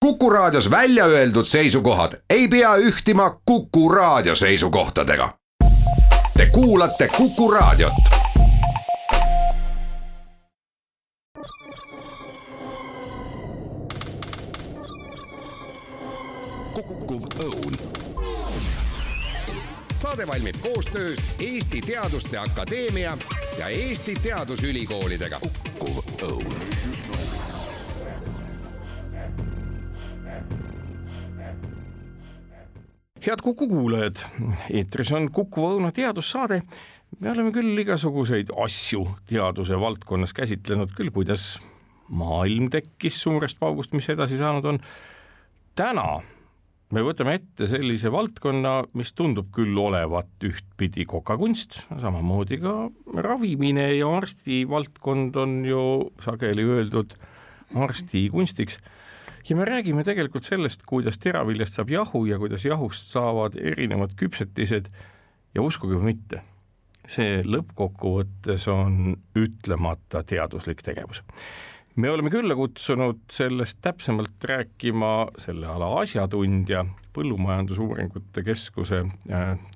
Kuku Raadios välja öeldud seisukohad ei pea ühtima Kuku Raadio seisukohtadega. Te kuulate Kuku Raadiot. Kukkuv Õun. Saade valmib koostöös Eesti Teaduste Akadeemia ja Eesti Teadusülikoolidega. Kukkuv Õun. Head Kuku kuulajad, eetris on Kuku Õuna teadussaade. Me oleme küll igasuguseid asju teaduse valdkonnas käsitlenud, küll kuidas maailm tekkis suurest paugust, mis edasi saanud on. Täna me võtame ette sellise valdkonna, mis tundub küll olevat ühtpidi kokakunst, samamoodi ka ravimine ja arsti valdkond on ju sageli öeldud arsti kunstiks. Ja me räägime tegelikult sellest, kuidas teraviljast saab jahu ja kuidas jahust saavad erinevad küpsetised ja uskuge või mitte. See lõppkokkuvõttes on ütlemata teaduslik tegevus. Me oleme külla kutsunud sellest täpsemalt rääkima selle ala asjatundja Põllumajandusuuringute Keskuse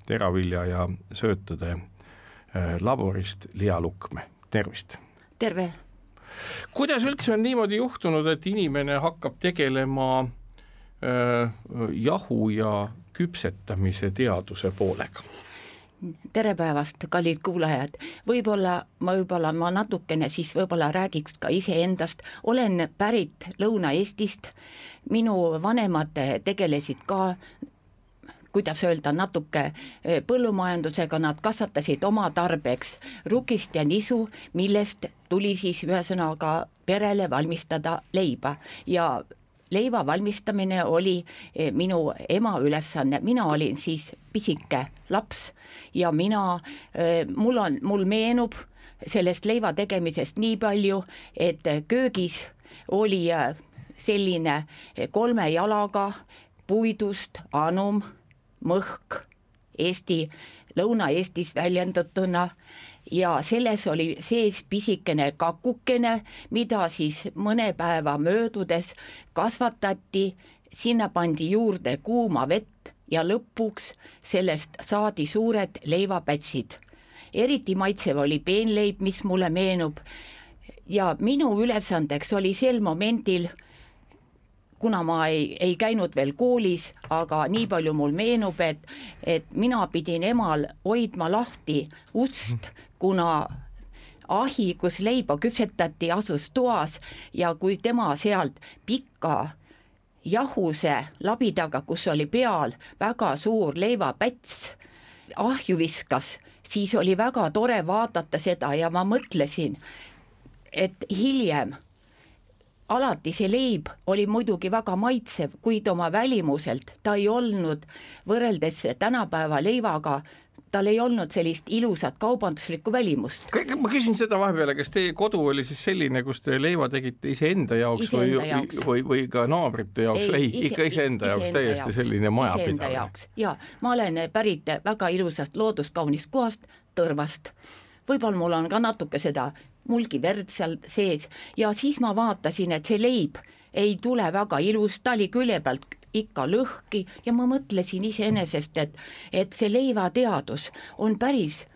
teravilja ja söötade laborist Liia Lukme. Tervist! Terve! Kuidas üldse on niimoodi juhtunud, et inimene hakkab tegelema jahu ja küpsetamise teaduse poolega? Tere päevast, kallid kuulajad. Võib-olla ma natukene siis võib-olla räägiks ka iseendast. Olen pärit Lõuna-Eestist. Minu vanemad tegelesid ka, kuidas öelda, natuke põllumajandusega, nad kasvatasid oma tarbeks rukist ja nisu, millest tuli siis ühesõnaga perele valmistada leiba ja leiva valmistamine oli minu ema ülesanne. Mina olin siis pisike laps ja mul meenub sellest leiva tegemisest nii palju, et köögis oli selline 3 jalaga puidust anum, mõhk Lõuna-Eestis väljendatuna ja selles oli sees pisikene kakukene, mida siis mõne päeva möödudes kasvatati, sinna pandi juurde kuuma vett ja lõpuks sellest saadi suured leivapätsid. Eriti maitsev oli peenleib, mis mulle meenub ja minu ülesandeks oli sel momendil, kuna ma ei käinud veel koolis, aga nii palju mul meenub, et mina pidin emal hoidma lahti ust, kuna ahi, kus leiba küpsetati, asus toas ja kui tema sealt pikka jahuse labidaga, kus oli peal väga suur leivapäts, ahju viskas, siis oli väga tore vaadata seda ja ma mõtlesin, et hiljem alati see leib oli muidugi väga maitsev, kuid oma välimuselt ta ei olnud võrreldes tänapäeva leivaga, tal ei olnud sellist ilusat kaubanduslikku välimust. Ma küsin seda vahepeale, kas teie kodu oli siis selline, kus te leiva tegite iseenda jaoks või ka naabrite jaoks? Ikka iseenda jaoks, täiesti selline majapidamine. Ja ma olen pärit väga ilusast looduskaunist kohast, Tõrvast. Võib-olla mul on ka natuke seda mulgi verd seal sees ja siis ma vaatasin, et see leib ei tule väga ilus, ta oli külje pealt ikka lõhki ja ma mõtlesin iseenesest, et see leivateadus on päris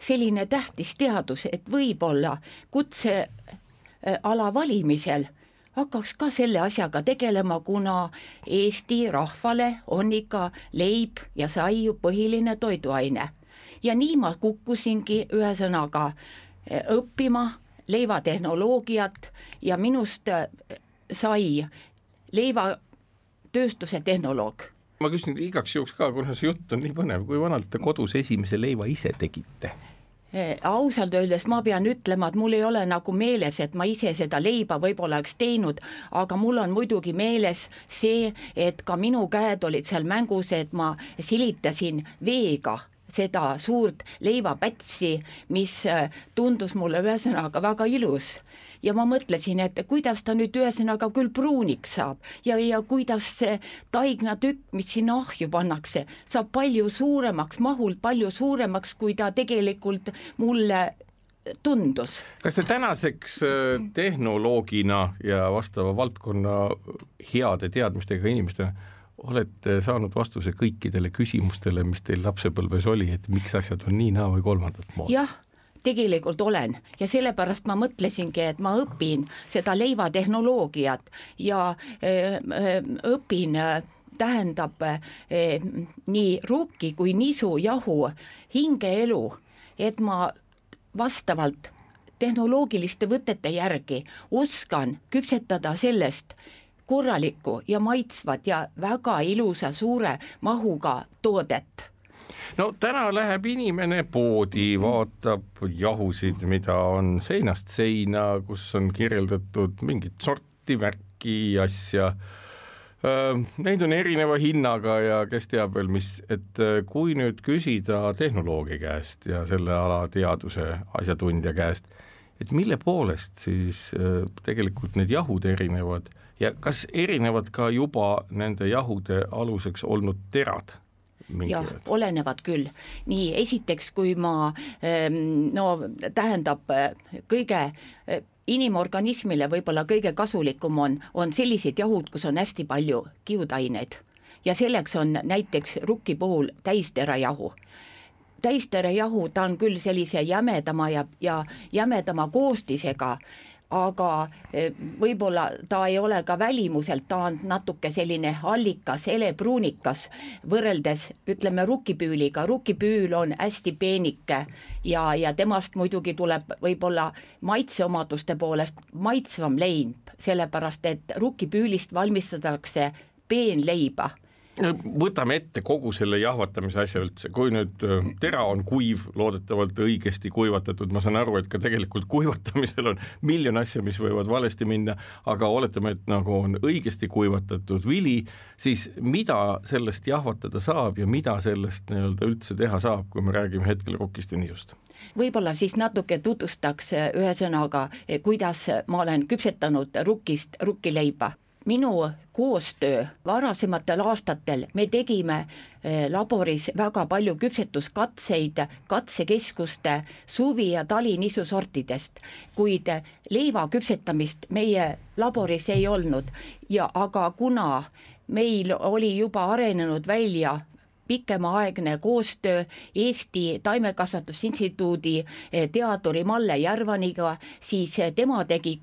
selline tähtis teadus, et võib-olla kutseala valimisel hakkaks ka selle asjaga tegelema, kuna Eesti rahvale on ikka leib ja saiu põhiline toiduaine. Ja nii ma kukkusingi ühesõnaga õppima leivatehnoloogiat ja minust sai leivatööstuse tehnoloog. Ma küsin igaks juhuks ka, kuna see jutt on nii põnev, kui vanalt te kodus esimese leiva ise tegite? Ausalt öeldes ma pean ütlema, et mul ei ole nagu meeles, et ma ise seda leiba võib-olla oleks teinud, aga mul on muidugi meeles see, et ka minu käed olid seal mängus, et ma silitasin veega seda suurt leivapätsi, mis tundus mulle ühesõnaga väga ilus. Ja ma mõtlesin, et kuidas ta nüüd ühesõnaga küll pruuniks saab ja kuidas see taignatükk, mis sinna ahju pannakse, saab palju suuremaks, mahult palju suuremaks, kui ta tegelikult mulle tundus. Kas te tänaseks tehnoloogina ja vastava valdkonna heade teadmistega inimestena olete saanud vastuse kõikidele küsimustele, mis teil lapsepõlves oli, et miks asjad on nii, naa või kolmandat moodi? Jah, tegelikult olen ja sellepärast ma mõtlesingi, et ma õpin seda leivatehnoloogiat ja õpin tähendab nii rukki kui nisu jahu hingeelu, et ma vastavalt tehnoloogiliste võtete järgi oskan küpsetada sellest korralikku ja maitsvat ja väga ilusa suure mahuga toodet. No täna läheb inimene poodi, vaatab jahusid, mida on seinast seina, kus on kirjeldatud mingit sorti, värki, asja. Neid on erineva hinnaga ja kes teab veel mis, et kui nüüd küsida tehnoloogia käest ja selle ala teaduse asjatundja käest, et mille poolest siis tegelikult need jahud erinevad ja kas erinevad ka juba nende jahude aluseks olnud terad? Jah, olenevad küll. Nii, esiteks, kui ma, tähendab kõige inimorganismile võib-olla kõige kasulikum on sellised jahud, kus on hästi palju kiudaineid ja selleks on näiteks rukki puhul täisterajahu. Täisterajahu, ta on küll sellise jämedama ja jämedama koostisega, aga võib-olla ta ei ole ka välimuselt, ta on natuke selline allikas, helepruunikas võrreldes, ütleme, rukkipüüliga. Rukkipüül on hästi peenike ja temast muidugi tuleb võib-olla maitseomaduste poolest maitsvam leib, sellepärast et rukkipüülist valmistatakse peenleiba. Võtame ette kogu selle jahvatamise asja üldse, kui nüüd tera on kuiv, loodetavalt õigesti kuivatatud, ma saan aru, et ka tegelikult kuivatamisel on miljon asja, mis võivad valesti minna, aga oletame, et nagu on õigesti kuivatatud vili, siis mida sellest jahvatada saab ja mida sellest nii-öelda üldse teha saab, kui me räägime hetkel rukist ja niust? Võib-olla siis natuke tutvustaks ühesõnaga, kuidas ma olen küpsetanud rukkist rukkileiba. Minu koostöö varasematel aastatel me tegime laboris väga palju küpsetuskatseid katsekeskuste suvi- ja talinisusortidest, kuid leiva küpsetamist meie laboris ei olnud aga kuna meil oli juba arenenud välja pikemaaegne koostöö Eesti Taimekasvatusinstituudi teaduri Malle Järvaniga, siis tema tegi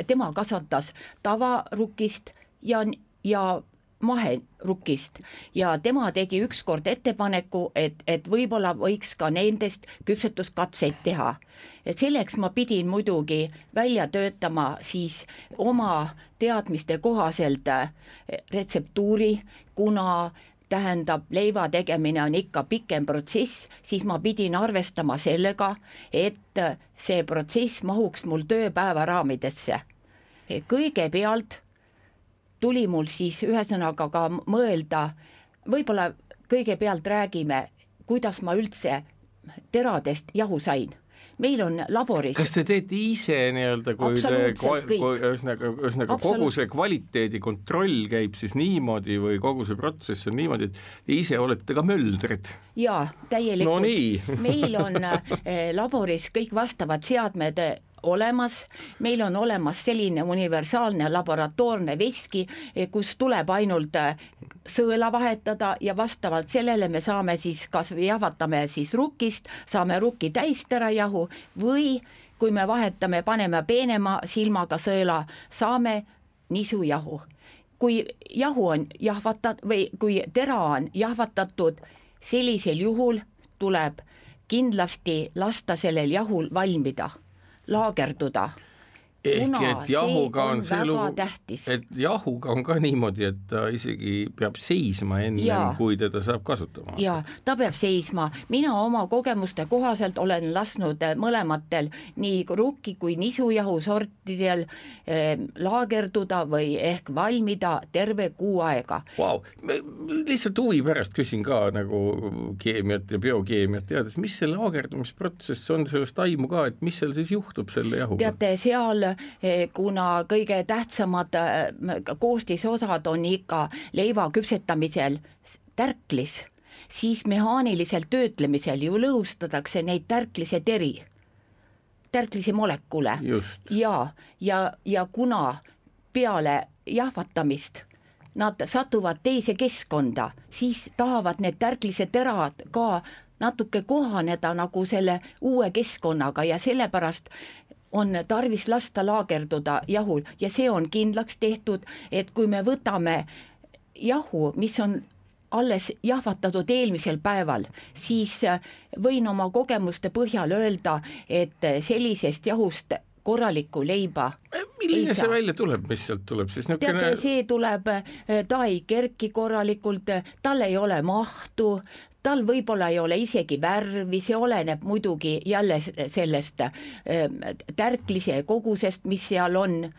tema kasvatas tavarukist ja maherukist ja tema tegi ükskord ettepaneku, et võib-olla võiks ka nendest küpsetuskatseid teha. Et selleks ma pidin muidugi välja töötama siis oma teadmiste kohaselt retseptuuri, kuna tähendab, leiva tegemine on ikka pikem protsess, siis ma pidin arvestama sellega, et see protsess mahuks mul tööpäeva raamidesse. Kõigepealt tuli mul siis ühesõnaga ka mõelda, võib-olla kõigepealt räägime, kuidas ma üldse teradest jahu sain. Meil on laboris. Kas te teete ise nii-öelda, ühesõnaga kogu see kvaliteedi kontroll käib siis niimoodi või kogu see protsess on niimoodi, et te ise olete ka möldrid? Jaa, täielikult. No nii. Meil on laboris kõik vastavad seadmed olemas, meil on olemas selline universaalne laboratoorne veski, kus tuleb ainult sõela vahetada ja vastavalt sellele me saame siis kas jahvatame siis rukkist, saame rukki täisterajahu või kui me vahetame, paneme peenema silmaga sõela, saame nisujahu. Kui jahu on jahvatatud või kui tera on jahvatatud, sellisel juhul tuleb kindlasti lasta sellel jahul valmida, laagerduda. Ehk et jahuga on see lugu, tähtis. Et jahuga on ka niimoodi, et ta isegi peab seisma ennem, kui teda saab kasutama. Ja, ta peab seisma. Mina oma kogemuste kohaselt olen lasknud mõlematel nii rukki kui nisujahu sortidel laagerduda või ehk valmida terve kuu aega. Wow. Lihtsalt huvi pärast küsin ka nagu keemiat ja biokeemiat teades, mis see laagerdumisprotsess on, sellest aimu ka, et mis seal siis juhtub selle jahuga? Teate, seal kuna kõige tähtsamad koostisosad on ikka leiva küpsetamisel tärklis, siis mehaanilisel töötlemisel ju lõhustatakse neid tärklise teri tärklise molekule. Just. Ja kuna peale jahvatamist nad satuvad teise keskkonda, siis tahavad need tärklised terad ka natuke kohaneda nagu selle uue keskkonnaga ja sellepärast on tarvis lasta laagerduda jahul ja see on kindlaks tehtud, et kui me võtame jahu, mis on alles jahvatatud eelmisel päeval, siis võin oma kogemuste põhjal öelda, et sellisest jahust korralikku leiba milline see välja tuleb, mis sealt tuleb siis? Teate, see tuleb, ta ei kerki korralikult, tal ei ole mahtu, tal võib-olla ei ole isegi värvi, see oleneb muidugi jälle sellest tärklise kogusest, mis seal on.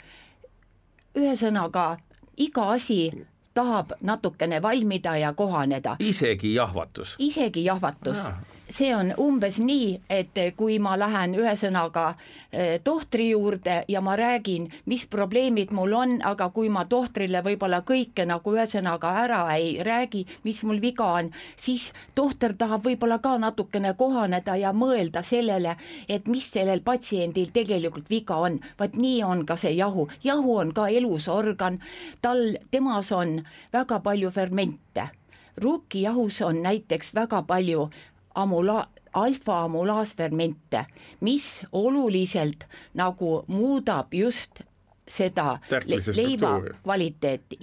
Ühesõnaga, iga asi tahab natukene valmida ja kohaneda. Isegi jahvatus? Isegi jahvatus. See on umbes nii, et kui ma lähen ühesõnaga tohtri juurde ja ma räägin, mis probleemid mul on, aga kui ma tohtrile võib-olla kõike nagu ühesõnaga ära ei räägi, mis mul viga on, siis tohter tahab võib-olla ka natukene kohaneda ja mõelda sellele, et mis sellel patsiendil tegelikult viga on. Vaat nii on ka see jahu. Jahu on ka elusorgan, temas on väga palju fermente. Ruukijahus on näiteks väga palju alfa-amulaasfermente, mis oluliselt nagu muudab just seda leiva kvaliteeti.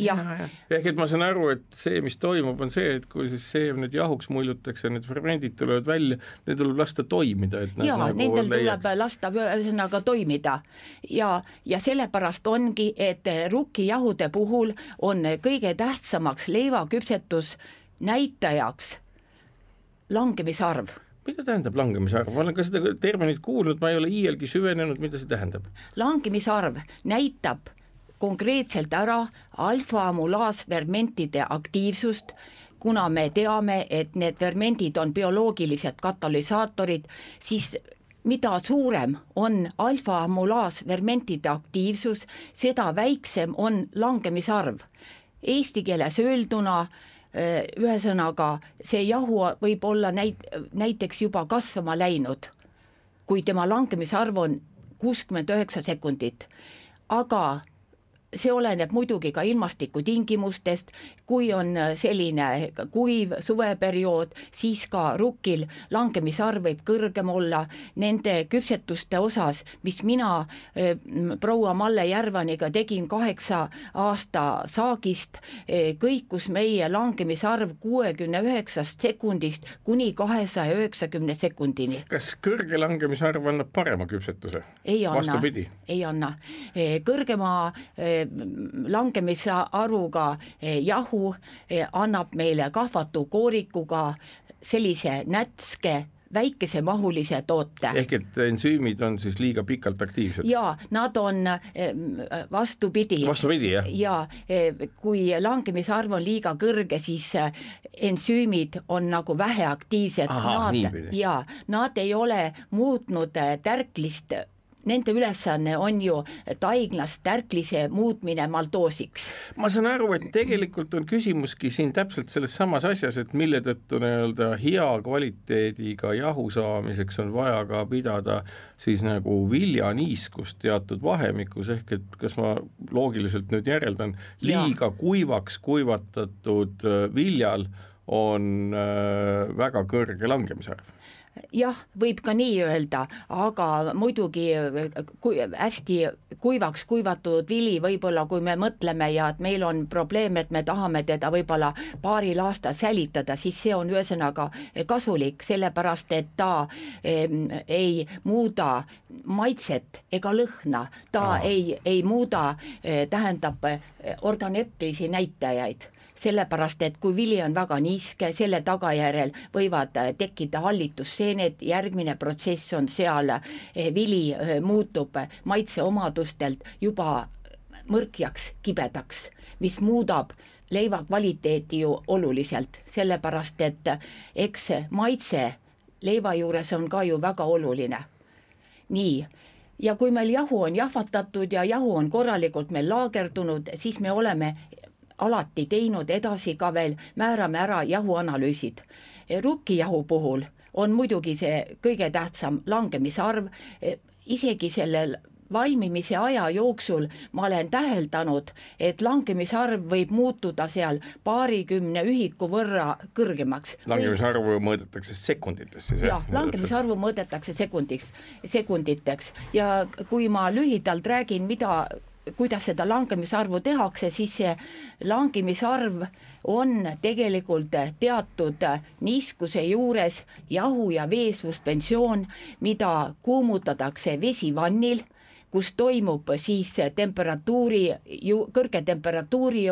Ehk et ma saan aru, et see, mis toimub, on see, et kui siis seemned jahuks muljutakse, need fermendid tulevad välja, need tuleb lasta toimida. Et nendel tuleb lasta ühesõnaga toimida ja sellepärast ongi, et ruukijahude puhul on kõige tähtsamaks leivaküpsetus näitajaks langemisarv. Mida tähendab langemisarv? Ma olen ka seda terminit kuulnud, ma ei ole iielgi süvenenud, mida see tähendab. Langemisarv näitab konkreetselt ära alfa-amulaasfermentide aktiivsust, kuna me teame, et need fermendid on bioloogilised katalüsaatorid, siis mida suurem on alfa-amulaasfermentide aktiivsus, seda väiksem on langemisarv. Eesti keeles öelduna ühesõnaga, see jahu võib olla näiteks juba kasvama läinud, kui tema langemisarv on 69 sekundit, aga see oleneb muidugi ka ilmastikutingimustest, kui on selline kuiv suveperiood, siis ka rukkil langemisarv võib kõrgem olla. Nende küpsetuste osas, mis mina proua Malle Järvaniga tegin 8 aasta saagist, kõikus meie langemisarv 69 sekundist kuni 290 sekundini. Kas kõrge langemisarv annab parema küpsetuse? Ei anna. Vastupidi? Ei anna. Kõrgema langemisarvuga jahu annab meile kahvatu koorikuga sellise nätske väikese mahulise toote. Ehk et ensüümid on siis liiga pikalt aktiivsed? Jaa, nad on vastupidi. Vastupidi, jah? Ja kui langemisarv on liiga kõrge, siis ensüümid on nagu väheaktiivsed. Nad ei ole muutnud tärklist. Nende ülesanne on ju taiglast tärklise muutmine maltoosiks. Ma saan aru, et tegelikult on küsimuski siin täpselt selles samas asjas, et mille tõttu hea kvaliteediga jahu saamiseks on vaja ka pidada siis nagu viljaniiskust teatud vahemikus, ehk et kas ma loogiliselt nüüd järeldan, liiga kuivaks kuivatatud viljal on väga kõrge langemisarv. Jah, võib ka nii öelda, aga muidugi hästi kuivaks kuivatud vili võib-olla, kui me mõtleme ja et meil on probleem, et me tahame teda võib-olla paaril aastal säilitada, siis see on ühesõnaga kasulik, sellepärast et ta ei muuda maitset ega lõhna, ta ei muuda, tähendab organeptilisi näitajaid. Sellepärast, et kui vili on väga niiske, selle tagajärjel võivad tekkida hallitusseened, järgmine protsess on seal, vili muutub maitseomadustelt juba mõrkjaks, kibedaks, mis muudab leiva kvaliteeti ju oluliselt, sellepärast et eks maitse leiva juures on ka ju väga oluline. Nii, ja kui meil jahu on jahvatatud ja jahu on korralikult meil laagerdunud, siis me oleme alati teinud edasi ka veel, määrame ära jahuanalüüsid. Ruukijahu puhul on muidugi see kõige tähtsam langemisarv isegi sellel valmimise aja jooksul ma olen täheldanud, et langemisarv võib muutuda seal 20 ühiku võrra kõrgemaks. Langemisarvu mõõdetakse sekunditesse. Jah, langemisarvu mõõdetakse sekunditeks ja kui ma lühidalt räägin, kuidas seda langemisarvu tehakse, siis see langemisarv on tegelikult teatud niiskuse juures jahu- ja veesuspensioon, mida kuumutatakse vesivannil, kus toimub siis kõrge temperatuuri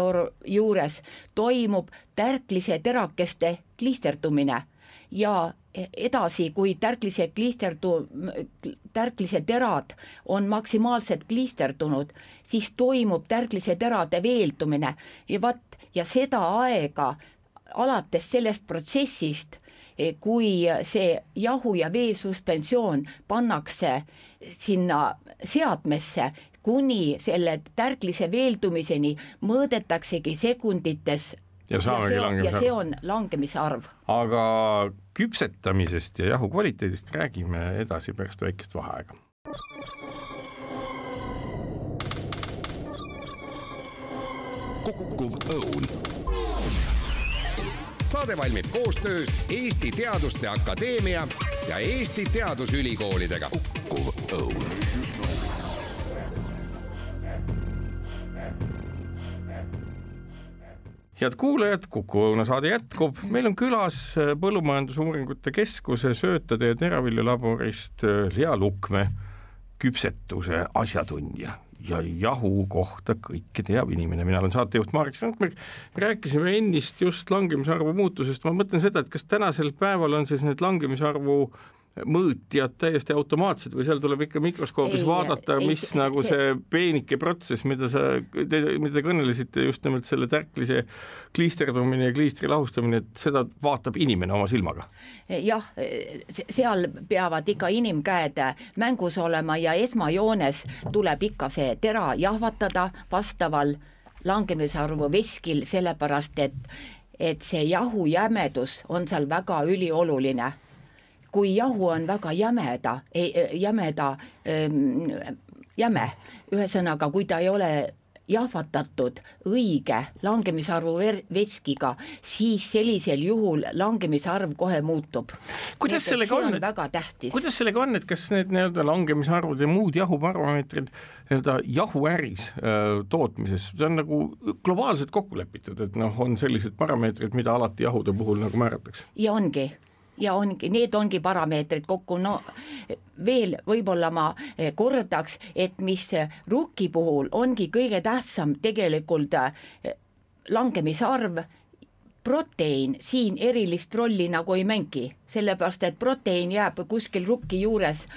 juures toimub tärklise terakeste kliisterdumine ja edasi, kui tärklise terad on maksimaalselt kliisterdunud, siis toimub tärklise terade veeldumine ja seda aega alates sellest protsessist, kui see jahu- ja veesuspensioon pannakse sinna seadmesse, kuni selle tärklise veeldumiseni mõõdetaksegi sekundites ja see on langemisarv. Aga küpsetamisest ja jahu kvaliteedist räägime edasi pärast väikest vaheaega. Kukkuv õun. Saade valmib koostöös Eesti Teaduste Akadeemia ja Eesti Teadusülikoolidega. Kukkuv õun. Head kuulajad, Kuku Õuna saade jätkub. Meil on külas Põllumajandusuuringute Keskuse söötade ja teraviljalaborist Lea Lukme, küpsetuse asjatundja ja jahu kohta kõike teab inimene. Mina olen saatejuht Marek Strandberg. Rääkisime ennist just langemisarvu muutusest. Ma mõtlen seda, et kas tänasel päeval on siis need langemisarvu mõõtjad täiesti automaatsed või seal tuleb ikka mikroskoobis vaadata, mis nagu see peenike protsess, mida te kõnelesite just nimelt selle tärklise kliisterdumine ja kliistri lahustamine, et seda vaatab inimene oma silmaga? Jah, seal peavad ikka inimkäed mängus olema ja esmajoones tuleb ikka see tera jahvatada vastaval langemisarvu veskil, sellepärast et see jahu jämedus on seal väga ülioluline. Kui jahu on väga jäme, ühesõnaga, kui ta ei ole jahvatatud õige langemisarvu veskiga, siis sellisel juhul langemisarv kohe muutub. Kuidas sellega on? Väga tähtis. Kuidas sellega on, et kas need langemisarvud ja muud jahuparameetrid jahuäris tootmises, see on nagu globaalselt kokku lepitud, et on sellised parameetrid, mida alati jahude puhul nagu määratakse? Ja ongi, need ongi parameetrid kokku, veel võib-olla ma kordaks, et mis rukki puhul ongi kõige tähtsam tegelikult langemisarv, proteiin siin erilist rolli nagu ei mängi, sellepärast et proteiin jääb kuskil rukki juures,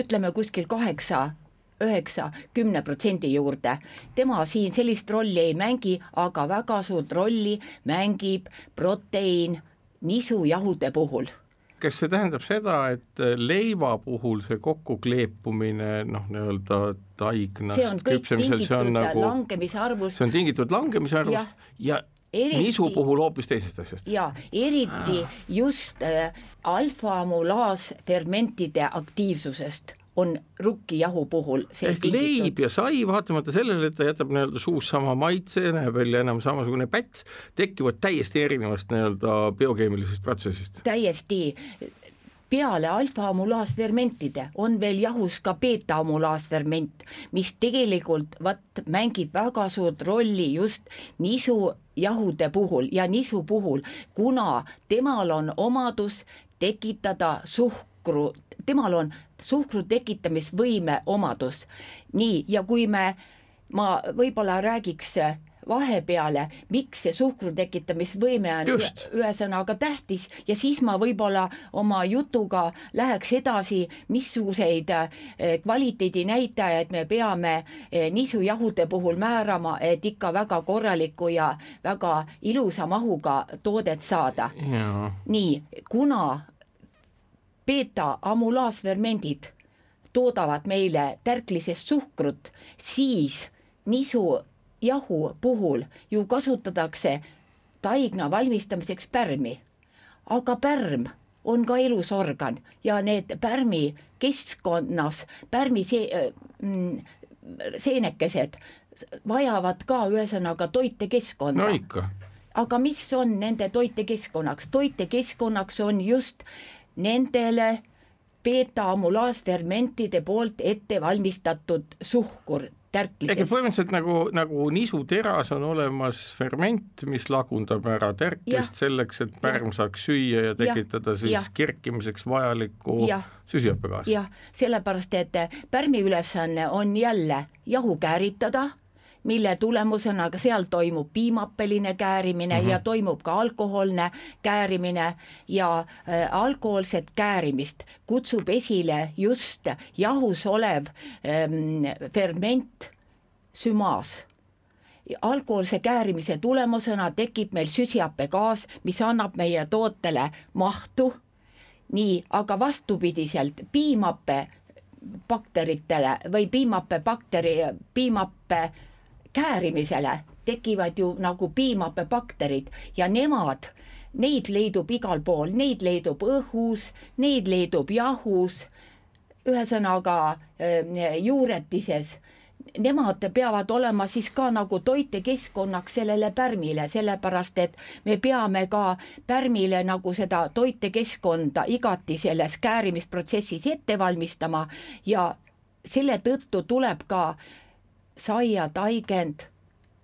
ütleme kuskil 9-10% juurde. Tema siin sellist rolli ei mängi, aga väga suurt rolli mängib proteiin nisujahude puhul. Kas see tähendab seda, et leiva puhul see kokkukleepumine, taignast, see on kõik tingitud langemisarvust. See on tingitud langemisarvust ja eriti, nisu puhul hoopis teisest asjast. Ja eriti just alfa-amulaasfermentide aktiivsusest on rukkijahu puhul see ehk leib ja sai, vaatamata sellele, et ta jätab suus sama maitse, näeb välja enam samasugune päts, tekivad täiesti erinevast biokeemilisest protsessist. Täiesti. Peale alfa-amulaasfermentide on veel jahus ka beta-amulaasferment, mis tegelikult mängib väga suurt rolli just nisujahude puhul ja nisu puhul, kuna temal on omadus tekitada temal on suhkru tekitamisvõime omadus. Nii, ja kui ma võib-olla räägiks vahepeale, miks see suhkru tekitamisvõime on ühesõnaga tähtis ja siis ma võib-olla oma jutuga läheks edasi, missuguseid kvaliteedinäitajaid me peame nisujahude puhul määrama, et ikka väga korraliku ja väga ilusa mahuga toodet saada. Ja. Nii, kuna beta-amulaasfermendid toodavad meile tärklisest suhkrut, siis nisujahu puhul ju kasutatakse taigna valmistamiseks pärmi. Aga pärm on ka elusorgan ja need pärmi keskkonnas, seenekesed vajavad ka ühesõnaga toitekeskkonda. No ikka. Aga mis on nende toitekeskkonnaks? Toitekeskkonnaks on just nendele beeta-amulaasfermentide poolt ette valmistatud suhkur tärklises. Põhimõtteliselt nagu nisuteras on olemas ferment, mis lagundab ära tärklist selleks, et pärm saaks süüa ja tekitada kerkimiseks vajalikku süsihappegaasi. Jah, sellepärast, et pärmi ülesanne on jälle jahu kääritada, mille tulemusena seal toimub piimappeline käärimine ja toimub ka alkoholne käärimine ja alkoholset käärimist kutsub esile just jahus olev ferment sümaas. Alkoholse käärimise tulemusena tekib meil süsihappegaas, mis annab meie tootele mahtu, nii, aga vastupidiselt piimappe bakteritele või piimappe käärimisele tekivad ju nagu piimappebakterid ja neid leidub igal pool, neid leidub õhus, neid leidub jahus, ühesõnaga juuretises. Nemad peavad olema siis ka nagu toitekeskkonnaks sellele pärmile, sellepärast et me peame ka pärmile nagu seda toitekeskkonda igati selles käärimisprotsessis ette valmistama ja selle tõttu tuleb ka saia taigend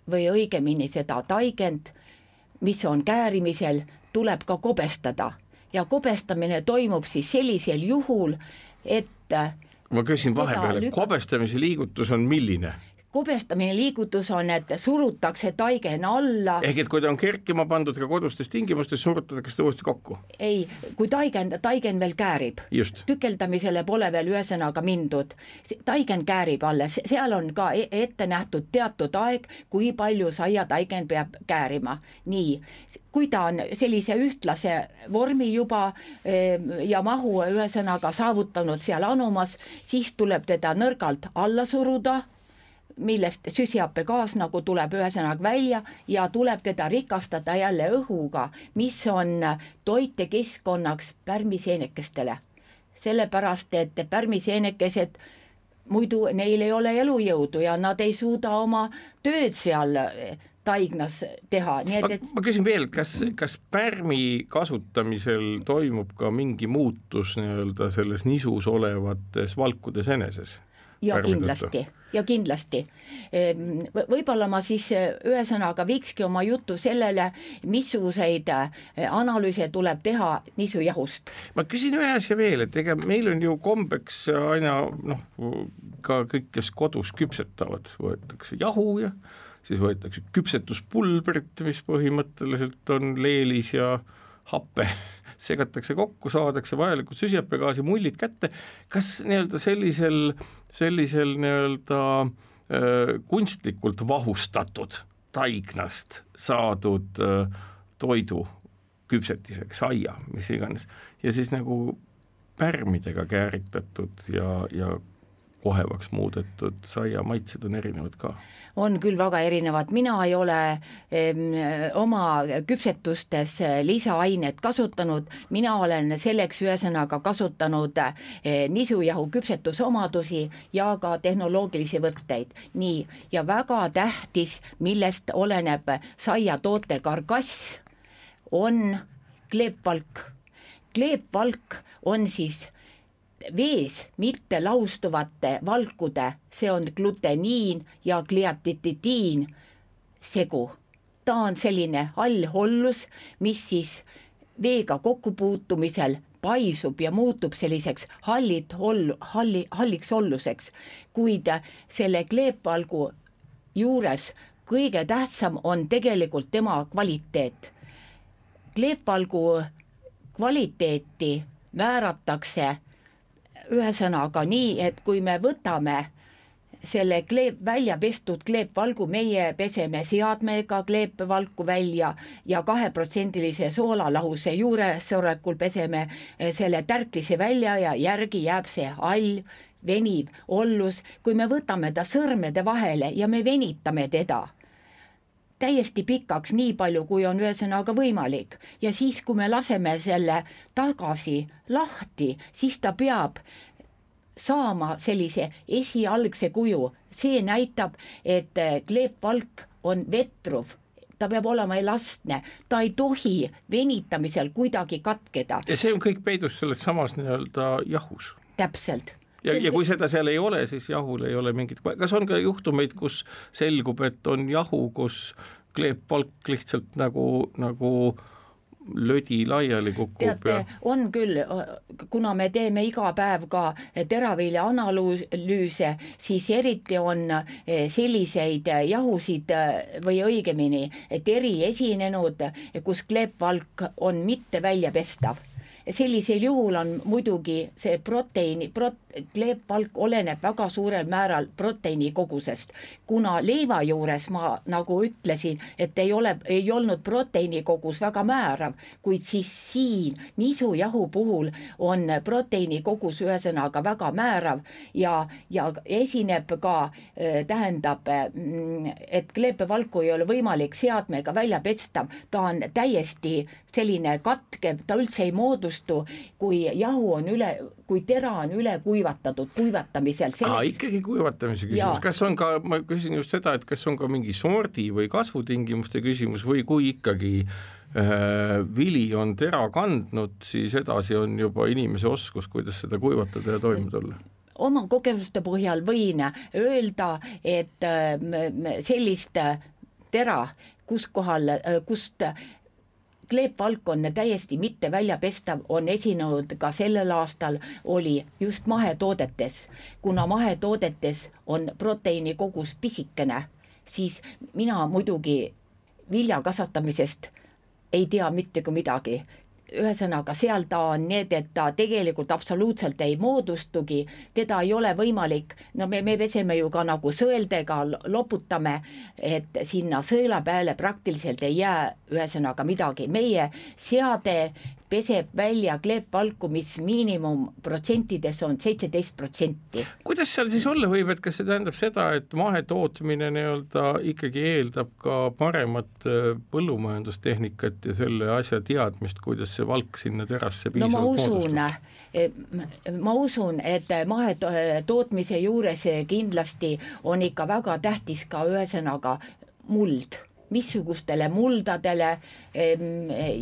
või õigemini seda taigend, mis on käärimisel, tuleb ka kobestada ja kobestamine toimub siis sellisel juhul, et ma küsin vahepeale, kobestamise liigutus on milline? Kobestamine liigutus on, et surutakse taigen alla. Ehk et kui ta on kerkima pandud ka kodustes tingimustes, surutatakse seda uuesti kokku? Ei, kui taigen veel käärib. Just. Tükeldamisele pole veel ühesõnaga mindud. Taigen käärib alles, seal on ka ette nähtud teatud aeg, kui palju saia taigen peab käärima. Nii, kui ta on sellise ühtlase vormi juba ja mahu ühesõnaga saavutanud seal anumas, siis tuleb teda nõrgalt alla suruda, millest süsihappegaas nagu tuleb ühesõnaga välja ja tuleb teda rikastada jälle õhuga, mis on toitekeskkonnaks pärmiseenekestele. Sellepärast, et pärmiseenekesed muidu neil ei ole elujõudu ja nad ei suuda oma tööd seal taignas teha. Nii et... Ma küsin veel, kas pärmi kasutamisel toimub ka mingi muutus nii-öelda selles nisus olevates valkudes eneses? Ja kindlasti. Võib-olla ma siis ühesõnaga viikski oma jutu sellele, missuguseid analüüse tuleb teha nisujahust. Ma küsin ühe asja veel, et ega meil on ju kombeks aina ka kõik, kes kodus küpsetavad, võetakse jahu ja siis võetakse küpsetuspulbrit, mis põhimõtteliselt on leelis ja happe, segatakse kokku, saadakse vajalikud süsihappegaasi mullid kätte. Kas nii-öelda sellisel nii-öelda kunstlikult vahustatud taignast saadud toidu küpsetiseks, saia, mis iganes, ja siis nagu pärmidega kääritatud ja kohevaks muudetud saia maitsed on erinevad ka? On küll väga erinevad. Mina ei ole oma küpsetustes lisaainet kasutanud, mina olen selleks ühesõnaga kasutanud nisujahu küpsetusomadusi ja ka tehnoloogilisi võtteid. Nii, ja väga tähtis, millest oleneb saia toote karkass, on kleepvalk. Kleepvalk on siis vees mitte laustuvate valkude, see on gluteniin ja gliatidiin segu. Ta on selline allhollus, mis siis veega kokkupuutumisel paisub ja muutub selliseks halliks holluseks, kuid selle kleepvalgu juures kõige tähtsam on tegelikult tema kvaliteet. Kleepvalgu kvaliteeti määratakse ühesõnaga nii, et kui me võtame selle välja pestud kleepvalgu, meie peseme seadmega kleepvalku välja ja 2% soolalahuse juuresolekul peseme selle tärklise välja ja järgi jääb see hall, veniv ollus. Kui me võtame ta sõrmede vahele ja me venitame teda, täiesti pikaks, nii palju, kui on ühesõnaga võimalik. Ja siis, kui me laseme selle tagasi lahti, siis ta peab saama sellise esialgse kuju. See näitab, et kleepvalk on vetruv, ta peab olema elastne, ta ei tohi venitamisel kuidagi katkeda. Ja see on kõik peidus selles samas nii-öelda jahus. Täpselt. Ja kui seda seal ei ole, siis jahul ei ole mingit, kas on ka juhtumeid, kus selgub, et on jahu, kus kleepvalk lihtsalt nagu lödi laiali kukub? Teate, on küll, kuna me teeme iga päev ka teravilja analüüse, siis eriti on selliseid jahusid või õigemini teri esinenud, kus kleepvalk on mitte väljapestav. Sellisel juhul on muidugi see kleepvalk oleneb väga suurel määral proteiini kogusest. Kuna leiva juures ma nagu ütlesin, et ei olnud proteiini kogus väga määrav, kuid siis siin nisujahu puhul on proteiini kogus ühesõnaga väga määrav ja esineb ka, tähendab, et kleepevalku ei ole võimalik seadmega välja pestav, ta on täiesti selline katkev, ta üldse ei moodustu, kui jahu on kui tera on üle kuivatatud kuivatamisel. Ikkagi kuivatamise küsimus. Kas on ka, ma küsin just seda, et kas on ka mingi sordi või kasvutingimuste küsimus või kui ikkagi vili on tera kandnud, siis edasi on juba inimese oskus, kuidas seda kuivatada ja toime tulla? Oma kogemuste põhjal võin öelda, et sellist tera, kust kleepvalk on täiesti mitte väljapestav, on esinenud ka sellel aastal, oli just mahetoodetes. Kuna mahetoodetes on proteiini kogus pisikene, siis mina muidugi vilja kasvatamisest ei tea mitte kui midagi. Ühesõnaga, seal ta on need, et ta tegelikult absoluutselt ei moodustugi, teda ei ole võimalik, no me peseme ju ka nagu sõeldega, loputame, et sinna sõela peale praktiliselt ei jää ühesõnaga midagi. Meie seade peseb välja kleepvalku, mis miinimum protsentides on 17%. Kuidas seal siis olla võib, et kas see tähendab seda, et mahetootmine nii-öelda ikkagi eeldab ka paremat põllumajandustehnikat ja selle asja teadmist, kuidas see valk sinna terasse piisavalt moodustab? Ma usun, et mahetootmise juures kindlasti on ikka väga tähtis ka ühesõnaga muld. Missugustele muldadele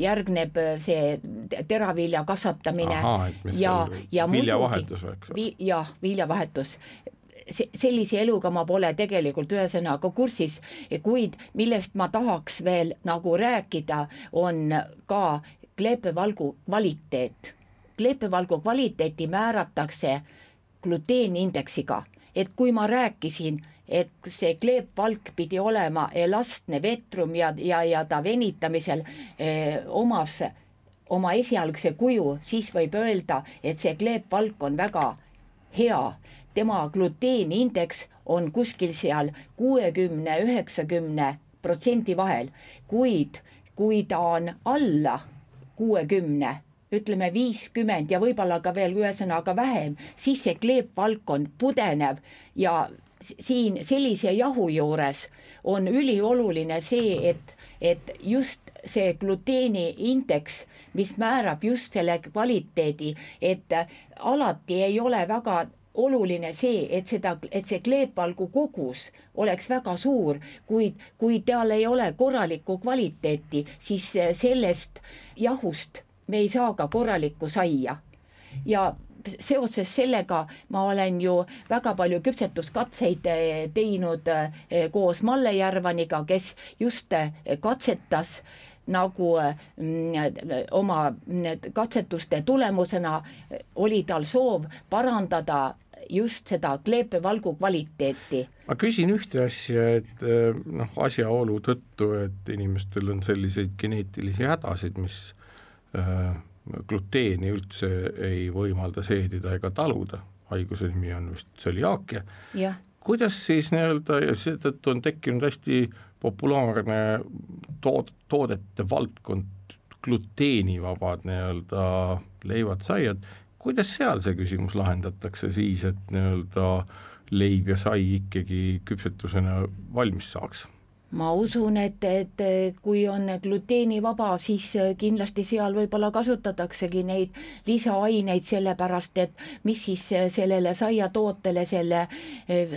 järgneb see teravilja kasvatamine. Ja viljavahetus. Viljavahetus. Sellise eluga ma pole tegelikult ühesõnaga kursis, kuid millest ma tahaks veel nagu rääkida, on ka kleepevalgu kvaliteet. Kleepevalgu kvaliteeti määratakse gluteeniindeksiga, et kui ma rääkisin, et see kleepvalk pidi olema elastne vetrum ja ta venitamisel omas oma esialgse kuju, siis võib öelda, et see kleepvalk on väga hea. Tema gluteeniindeks on kuskil seal 60-90% vahel, kuid kui ta on alla 60, ütleme 50 ja võib-olla ka veel ühesõnaga vähem, siis see kleepvalk on pudenev ja siin sellise jahu juures on ülioluline see, et just see gluteeni indeks, mis määrab just selle kvaliteedi, et alati ei ole väga oluline see, et see kleepvalgu kogus oleks väga suur, kuid kui tal ei ole korralikku kvaliteeti, siis sellest jahust me ei saa ka korralikku saia. Ja seoses sellega ma olen ju väga palju küpsetuskatseid teinud koos Malle Järvaniga, kes just katsetas nagu oma katsetuste tulemusena oli tal soov parandada just seda kleepevalgu kvaliteeti. Ma küsin ühte asja, et asjaolu tõttu, et inimestel on selliseid geneetilisi hädasid, mis gluteeni üldse ei võimalda seedida ega taluda, haiguse nimi on vist tseliaakia. Kuidas siis nii-öelda, ja seetõttu on tekkinud hästi populaarne toodete valdkond, gluteenivabad nii-öelda leivad, saiad, kuidas seal see küsimus lahendatakse siis, et nii-öelda leib ja sai ikkagi küpsetusena valmis saaks? ma usun, et kui on gluteenivaba, siis kindlasti seal võib-olla kasutataksegi neid lisaaineid, sellepärast et mis siis sellele saiatootele selle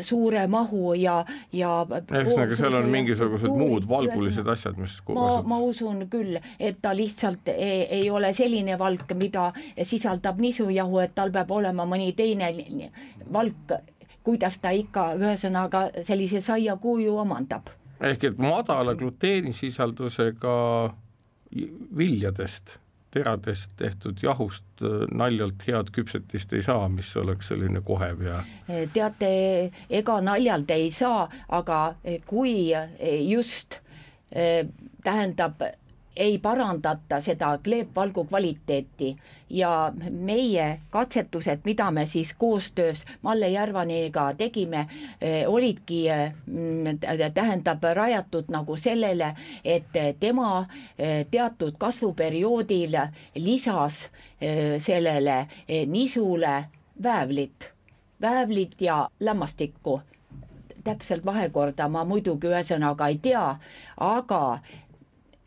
suure mahu ja ühesõnaga seal on mingisugused muud valgulised asjad, mis ma usun küll, et ta lihtsalt ei ole selline valk, mida sisaldab nisujahu, et tal peab olema mõni teine valk, kuidas ta ikka ühesõnaga sellise saiakuju omandab. Ehk et madala gluteenisisaldusega viljadest, teradest tehtud jahust naljalt head küpsetist ei saa, mis oleks selline kohev ja... Teate, ega naljalt ei saa, aga kui just tähendab, ei parandata seda kleepvalgu kvaliteeti ja meie katsetused, mida me siis koostöös Malle Järvaniga tegime, olidki tähendab rajatud nagu sellele, et tema teatud kasvuperioodil lisas sellele nisule väävlit ja lämmastikku. Täpselt vahekorda ma muidugi ühesõnaga ei tea, aga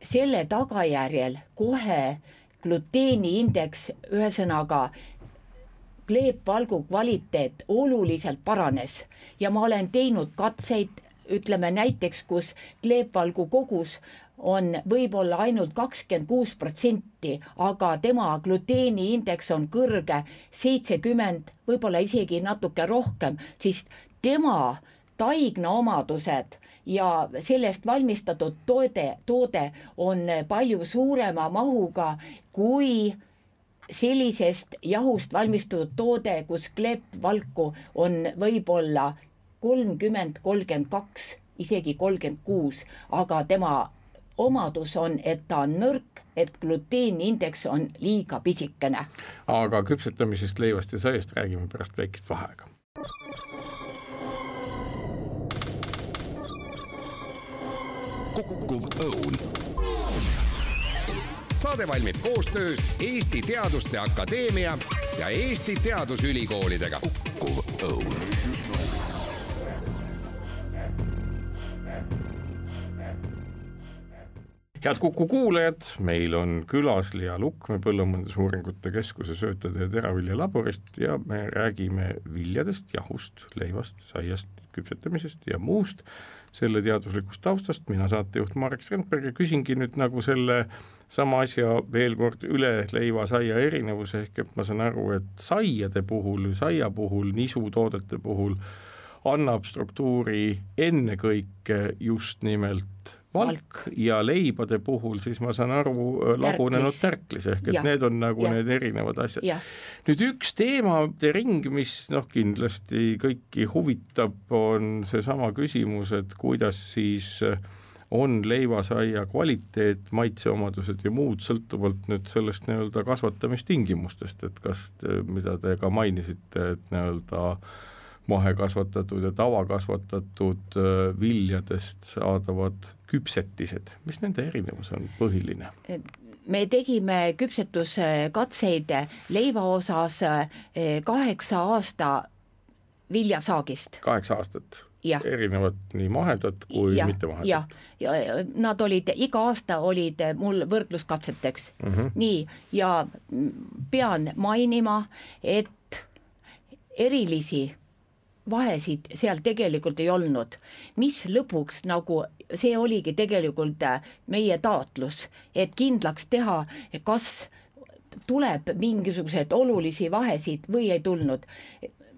selle tagajärjel kohe gluteeniindeks, ühesõnaga kleepvalgu kvaliteet oluliselt paranes ja ma olen teinud katseid, ütleme näiteks, kus kleepvalgu kogus on võib-olla ainult 26%, aga tema gluteeniindeks on kõrge 70, võib-olla isegi natuke rohkem, siis tema taigna omadused ja sellest valmistatud toode on palju suurema mahuga kui sellisest jahust valmistatud toode, kus kleepvalku on võib-olla 30, 32, isegi 36, aga tema omadus on, et ta on nõrk, et gluteeniindeks on liiga pisikene. Aga küpsetamisest, leivast ja saiast räägime pärast väikest vaheaega. Kukkuv õun. Saade valmib koostöös Eesti Teaduste Akadeemia ja Eesti Teadusülikoolidega. Kukkuv õun. Head Kuku kuulajad, meil on külas Liia Lukme Põllumajandusuuringute Keskuse söötade ja teravilja laborist ja me räägime viljadest, jahust, leivast, saiast, küpsetamisest ja muust selle teaduslikust taustast. Mina saatejuht Marek Strandberg ja küsingi nüüd nagu selle sama asja veel kord üle leiva saia erinevuse, ehk et ma saan aru, et saia puhul, nisutoodete puhul annab struktuuri ennekõike just nimelt valk ja leibade puhul siis ma saan aru lagunenud tärklis, ehk et need on nagu need erinevad asjad. Nüüd üks teemade ring, mis kindlasti kõiki huvitab, on seesama küsimus, et kuidas siis on leivasaia kvaliteet, maitseomadused ja muud sõltuvalt nüüd sellest nii-öelda kasvatamistingimustest, et kas, mida te ka mainisite, et nii-öelda mahekasvatatud ja tavakasvatatud viljadest saadavad küpsetised, mis nende erinevus on põhiline? Me tegime küpsetuskatseid leiva osas 8 aasta viljasaagist. 8 aastat? Erinevad nii mahedat kui mitte mahedat? Ja nad olid, iga aasta olid mul võrdluskatseteks. Nii, ja pean mainima, et erilisi vahesid seal tegelikult ei olnud, mis lõpuks nagu see oligi tegelikult meie taotlus, et kindlaks teha, kas tuleb mingisuguseid olulisi vahesid või ei tulnud.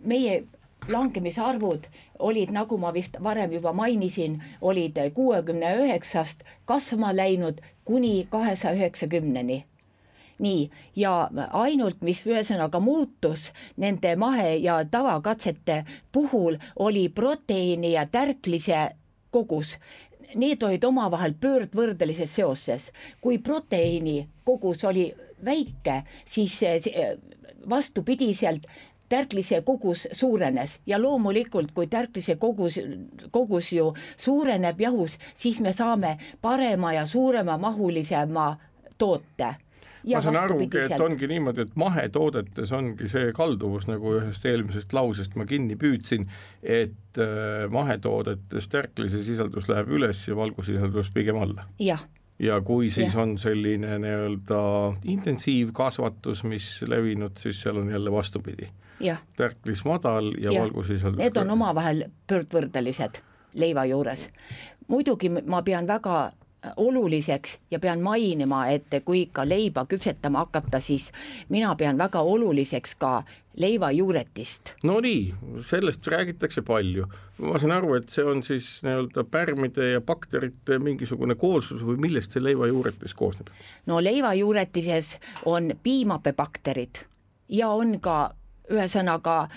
Meie langemisarvud olid, nagu ma vist varem juba mainisin, olid 69-st kasvama läinud kuni 290-ni. Nii, ja ainult, mis ühesõnaga muutus nende mahe- ja tavakatsete puhul, oli proteiini ja tärklise kogus. Need olid omavahel pöördvõrdelises seoses. Kui proteiini kogus oli väike, siis vastupidiselt tärklise kogus suurenes ja loomulikult, kui tärklise kogus ju suureneb jahus, siis me saame parema ja suurema mahulisema toote. ma saan arugi, et ongi niimoodi, et mahetoodetes ongi see kalduvus, nagu ühest eelmisest lausest ma kinni püüdsin, et mahetoodetes tärklise sisaldus läheb üles ja valgusisaldus pigem alla. Ja kui siis on selline nii-öelda intensiivkasvatus, mis levinud, siis seal on jälle vastupidi. Tärklis madal ja valgusisaldus. Need on omavahel pöördvõrdelised leiva juures. Muidugi ma pean väga oluliseks ja pean mainima, et kui ikka leiba küpsetama hakata, siis mina pean väga oluliseks ka leiva juuretist. No nii, sellest räägitakse palju. Ma saan aru, et see on siis nii-öelda pärmide ja bakterite mingisugune koolsus või millest see leiva juuretis koosneb? No leiva juuretises on piimappebakterid ja on ka ühesõnaga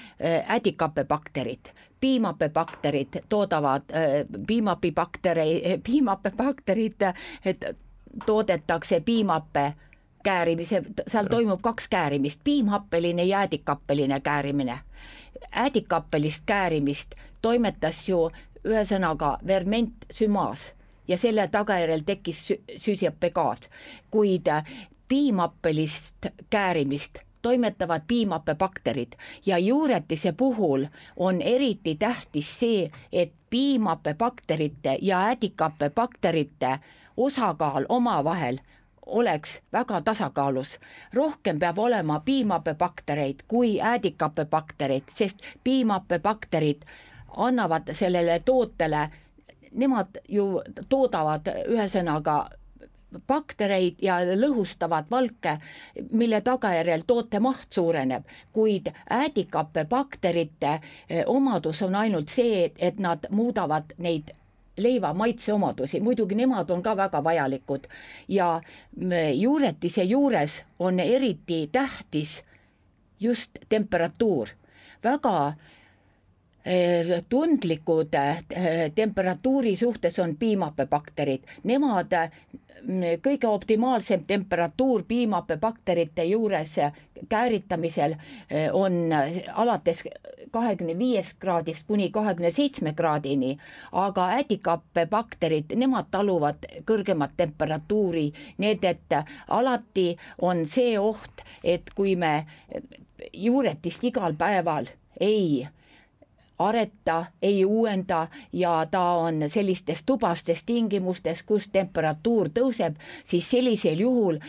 ädikappebakterid. Piimappebakterid toodavad piimappebakterid, et toodetakse piimappe käärimise, seal toimub 2 käärimist, piimhappeline ja ädikappeline käärimine. Ädikappelist käärimist toimetas ju ühesõnaga verment sümaas ja selle tagajärjel tekkis süsihappegaas, kuid piimappelist käärimist toimetavad piimappebakterid ja juuretise puhul on eriti tähtis see, et piimappebakterite ja ädikappebakterite osakaal omavahel oleks väga tasakaalus. Rohkem peab olema piimappebaktereid kui ädikappebaktereid, sest piimappebakterid annavad sellele tootele, nemad ju toodavad ühesõnaga baktereid ja lõhustavad valke, mille tagajärjel toote maht suureneb, kuid ädikappebakterite omadus on ainult see, et nad muudavad neid leiva maitseomadusi, muidugi nemad on ka väga vajalikud ja juuretise juures on eriti tähtis just temperatuur. Väga tundlikud temperatuuri suhtes on piimappebakterid, nemad kõige optimaalsem temperatuur piimappebakterite juures kääritamisel on alates 25 kraadist kuni 27 kraadini, aga ädikappebakterid, nemad taluvad kõrgemat temperatuuri, need, et alati on see oht, et kui me juuretist igal päeval ei areta, ei uuenda ja ta on sellistes tubastes tingimustes, kus temperatuur tõuseb, siis sellisel juhul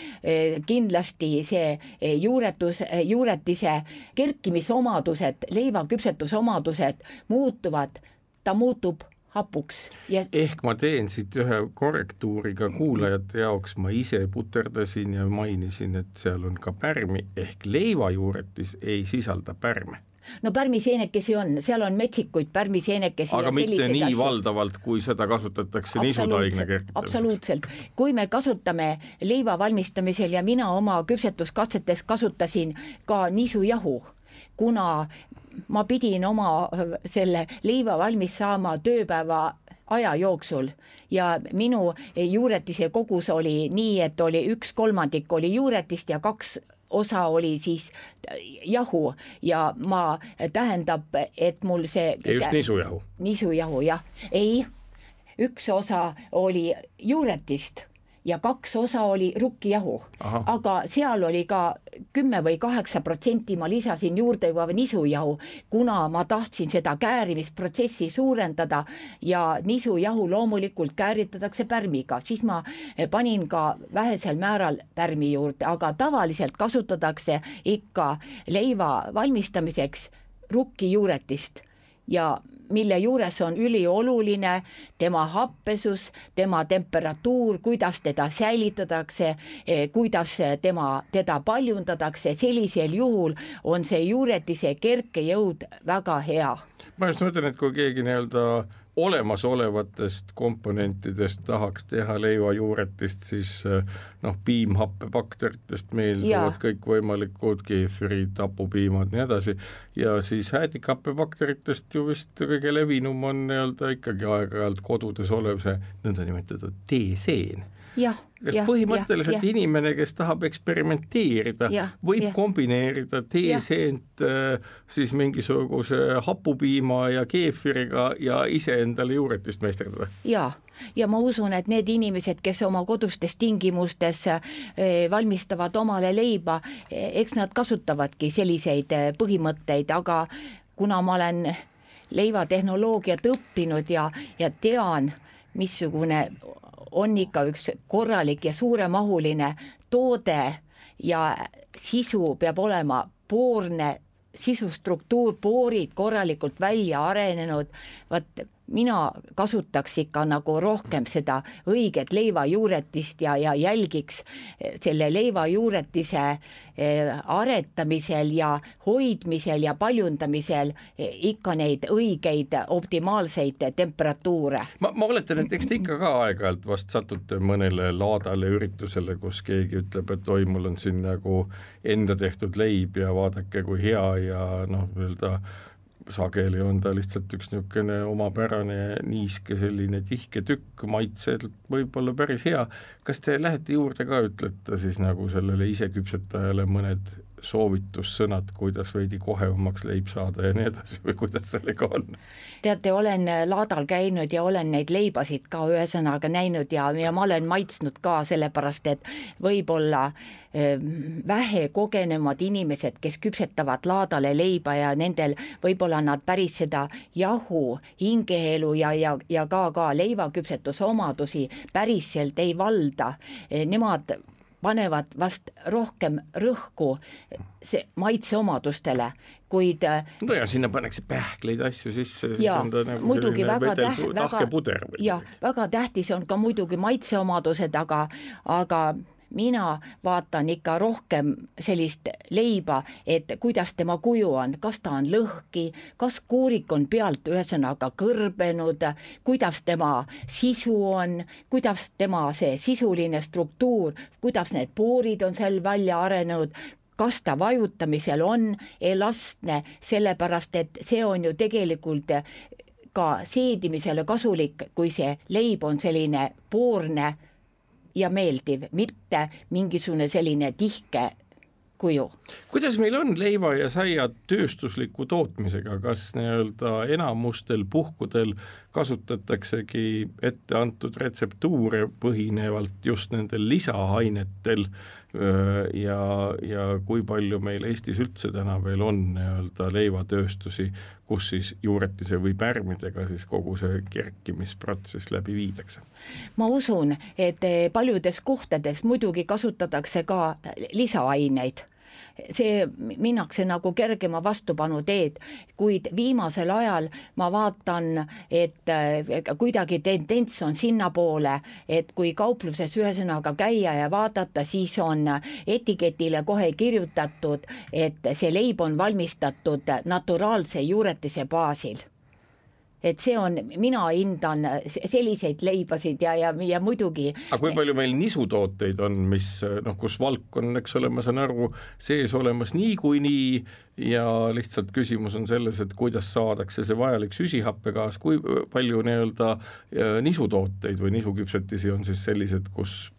kindlasti see juuretise kerkimisomadused, leivaküpsetusomadused muutuvad, ta muutub hapuks. Ehk ma teen siit ühe korrektuuriga kuulajate jaoks, ma ise puterdasin ja mainisin, et seal on ka pärmi, ehk leivajuuretis ei sisalda pärme. No pärmiseenekesi on, seal on metsikuid pärmiseenekesi. Aga mitte nii valdavalt, kui seda kasutatakse nisutaigne kerkitamiseks. Absoluutselt. Kui me kasutame leiva valmistamisel ja mina oma küpsetuskatsetes kasutasin ka nisujahu, kuna ma pidin oma selle leiva valmis saama tööpäeva aja jooksul ja minu juuretise kogus oli nii, et oli 1/3 oli juuretist ja 2 osa oli siis jahu ja ma tähendab, et mul see... Just nisujahu. Nisujahu, jah. Ei, 1 osa oli juuretist ja 2 osa oli rukkijahu. Aga seal oli ka 10 või 8% ma lisasin juurde juba nisujahu, kuna ma tahtsin seda käärimisprotsessi suurendada ja nisujahu loomulikult kääritatakse pärmiga, siis ma panin ka vähesel määral pärmi juurde, aga tavaliselt kasutatakse ikka leiva valmistamiseks rukkijuuretist ja mille juures on ülioluline tema happesus, tema temperatuur, kuidas teda säilitatakse, kuidas teda paljundatakse, sellisel juhul on see juuretise kerkejõud väga hea. Ma just mõtlen, et kui keegi nii-öelda olemasolevatest komponentidest tahaks teha leivajuuretist, siis piimhappebakteritest meelduvad kõik võimalikud keefirid, tapupiimad, nii edasi, ja siis ädikappebakteritest ju vist kõige levinum on nii-öelda ikkagi aeg-ajalt kodudes olev see nõnda nimetatud teeseen. kas põhimõtteliselt inimene, kes tahab eksperimenteerida, võib kombineerida teeseent siis mingisuguse hapupiima ja keefiriga ja ise endale juuretist meisterdada? Ja ma usun, et need inimesed, kes oma kodustes tingimustes valmistavad omale leiba, eks nad kasutavadki selliseid põhimõtteid, aga kuna ma olen leivatehnoloogiat õppinud ja tean, missugune on ikka üks korralik ja suuremahuline toode ja sisu peab olema poorne, sisustruktuur, poorid korralikult välja arenenud, mina kasutaks ikka nagu rohkem seda õiget leivajuuretist ja jälgiks selle leivajuuretise aretamisel ja hoidmisel ja paljundamisel ikka neid õigeid optimaalseid temperatuure. Ma oletan, et eks te ikka ka aeg-ajalt vast satute mõnele laadale üritusele, kus keegi ütleb, et oi, mul on siin nagu enda tehtud leib ja vaadake, kui hea ja öelda sageli on ta lihtsalt üks niisugune omapärane niiske selline tihke tükk, maitselt võib-olla päris hea. Kas te lähete juurde ka, ütlete siis nagu sellele iseküpsetajale mõned soovitussõnad, kuidas veidi kohevamaks leib saada ja nii edasi või kuidas sellega on? Teate, olen laadal käinud ja olen neid leibasid ka ühesõnaga näinud ja ma olen maitsnud ka sellepärast, et võib-olla vähe kogenemad inimesed, kes küpsetavad laadale leiba ja nendel võib-olla nad päris seda jahu, hingeelu ja ka leivaküpsetuse omadusi päriselt ei valda. Nemad panevad vast rohkem rõhku maitseomadustele, kuid no ja sinna pannakse pähkleid asju sisse, siis on ta nagu muidugi tahke puder. Ja väga tähtis on ka muidugi maitseomadused, aga mina vaatan ikka rohkem sellist leiba, et kuidas tema kuju on, kas ta on lõhki, kas kuurik on pealt ühesõnaga kõrbenud, kuidas tema sisu on, kuidas tema see sisuline struktuur, kuidas need poorid on seal välja arenenud, kas ta vajutamisel on elastne, sellepärast et see on ju tegelikult ka seedimisele kasulik, kui see leib on selline poorne ja meeldiv, mitte mingisugune selline tihke kuju. Kuidas meil on leiva ja saia tööstusliku tootmisega, kas enamustel puhkudel kasutataksegi ette antud retseptuure põhinevalt just nendel lisaainetel ja kui palju meil Eestis üldse täna veel on leivatööstusi, kus siis juuretise või pärmidega siis kogu see kerkimisprotsess läbi viidakse? Ma usun, et paljudes kohtades muidugi kasutatakse ka lisaaineid. See minnakse nagu kergema vastupanu teed, kuid viimasel ajal ma vaatan, et kuidagi tendents on sinna poole, et kui kaupluses ühesõnaga käia ja vaadata, siis on etiketile kohe kirjutatud, et see leib on valmistatud naturaalse juuretise baasil. Et see on, mina hindan selliseid leibasid ja muidugi. Aga kui palju meil nisutooteid on, mis, kus valk on, eks ole, ma saan aru, sees olemas niikuinii ja lihtsalt küsimus on selles, et kuidas saadakse see vajalik süsihappegaas, kui palju nisutooteid või nisuküpsetisi on siis sellised, kus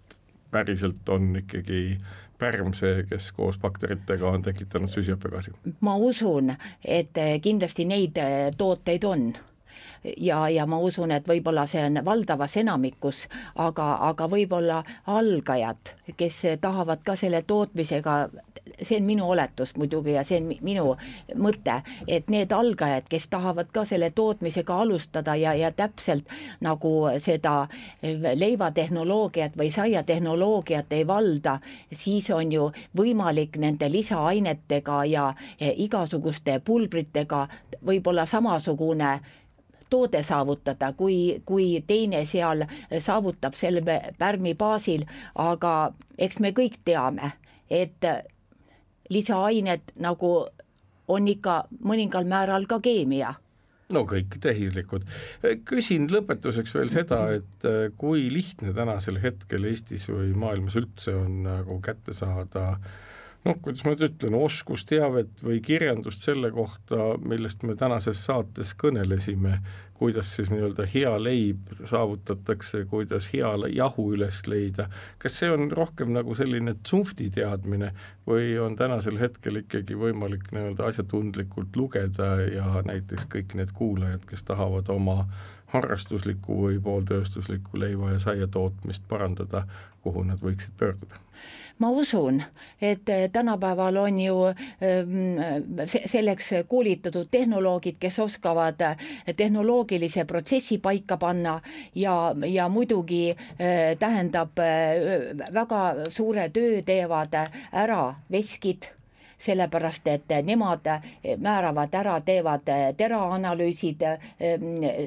päriselt on ikkagi pärm see, kes koos bakteritega on tekitanud süsihappegaasi? Ma usun, et kindlasti neid tooteid on. Ja ma usun, et võib-olla see on valdavas enamikus, aga võib-olla algajad, kes tahavad ka selle tootmisega, see on minu oletus muidugi ja see on minu mõte, et need algajad, kes tahavad ka selle tootmisega alustada ja täpselt nagu seda leivatehnoloogiat või saiatehnoloogiat ei valda, siis on ju võimalik nende lisaainetega ja igasuguste pulbritega võib-olla samasugune toode saavutada, kui teine seal saavutab selle pärmi baasil, aga eks me kõik teame, et lisaained nagu on ikka mõningal määral ka keemia. No kõik tehislikud. Küsin lõpetuseks veel seda, et kui lihtne tänasel hetkel Eestis või maailmas üldse on nagu kätte saada kuidas ma nüüd ütlen, oskusteavet või kirjandust selle kohta, millest me tänases saates kõnelesime, kuidas siis nii-öelda hea leib saavutatakse, kuidas hea jahu üles leida. Kas see on rohkem nagu selline tsunfti teadmine või on tänasel hetkel ikkagi võimalik nii-öelda asjatundlikult lugeda ja näiteks kõik need kuulajad, kes tahavad oma harrastuslikku või pooltööstuslikku leiva ja saia tootmist parandada, kuhu nad võiksid pöörduda? Ma usun, et tänapäeval on ju selleks koolitatud tehnoloogid, kes oskavad tehnoloogilise protsessi paika panna ja muidugi tähendab väga suure töö teevad ära veskid, sellepärast, et nemad määravad ära, teevad teraanalüüsid,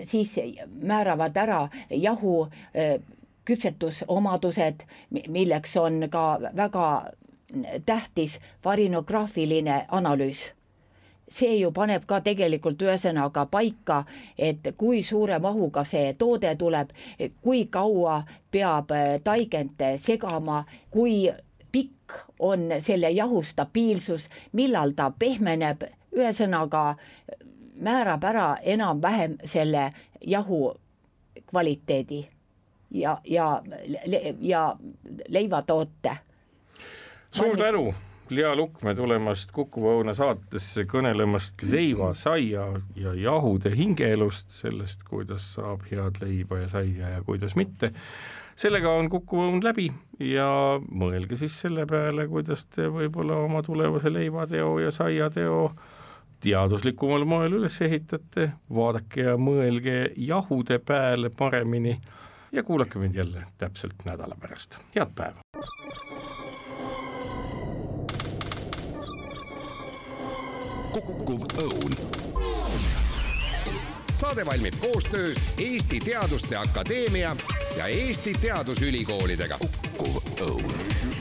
siis määravad ära jahu küpsetusomadused, milleks on ka väga tähtis varinograafiline analüüs. See ju paneb ka tegelikult ühesõnaga paika, et kui suure mahuga see toode tuleb, kui kaua peab taigent segama, kui pikk on selle jahu stabiilsus, millal ta pehmeneb, ühesõnaga määrab ära enam-vähem selle jahu kvaliteedi ja leivatoote. Suur tänu, Lea Lukme, tulemast Kuku Õuna saatesse kõnelemast leiva, saia ja jahude hingeelust, sellest, kuidas saab head leiba ja saia ja kuidas mitte. Sellega on Kuku Õun läbi ja mõelge siis selle peale, kuidas te võib-olla oma tulevase leivateo ja saiateo teaduslikumal moel üles ehitate, vaadake ja mõelge jahude peale paremini ja kuulake mind jälle täpselt nädala pärast. Head päeva! Kuku Õun. Saade valmib koostöös Eesti Teaduste Akadeemia ja Eesti Teadusülikoolidega. Kuku Õun.